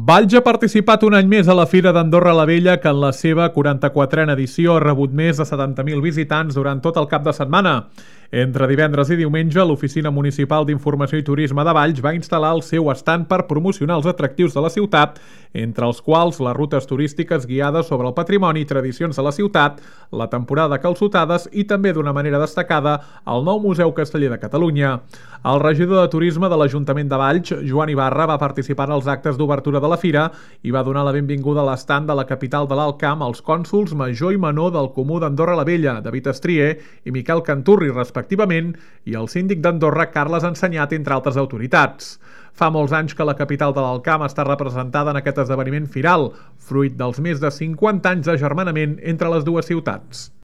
Valls ha participat un any més a la Fira d'Andorra la Vella, que en la seva 44a edició ha rebut més de 70.000 visitants durant tot el cap de setmana. Entre divendres i diumenge, l'Oficina Municipal d'Informació i Turisme de Valls va instal·lar el seu estand per promocionar els atractius de la ciutat, entre els quals les rutes turístiques guiades sobre el patrimoni i tradicions de la ciutat, la temporada de calçotades i també, d'una manera destacada, el nou Museu Casteller de Catalunya. El regidor de Turisme de l'Ajuntament de Valls, Joan Ibarra, va participar en els actes d'obertura de la fira i va donar la benvinguda a l'estand de la capital de l'Alt Camp als cònsols major i menor del Comú d'Andorra la Vella, David Estrier i Miquel Canturri, respectivament, i el síndic d'Andorra, Carles Ensenyat, entre altres autoritats. Fa molts anys que la capital de l'Alt Camp està representada en aquest esdeveniment firal, fruit dels més de 50 anys d'agermanament entre les dues ciutats.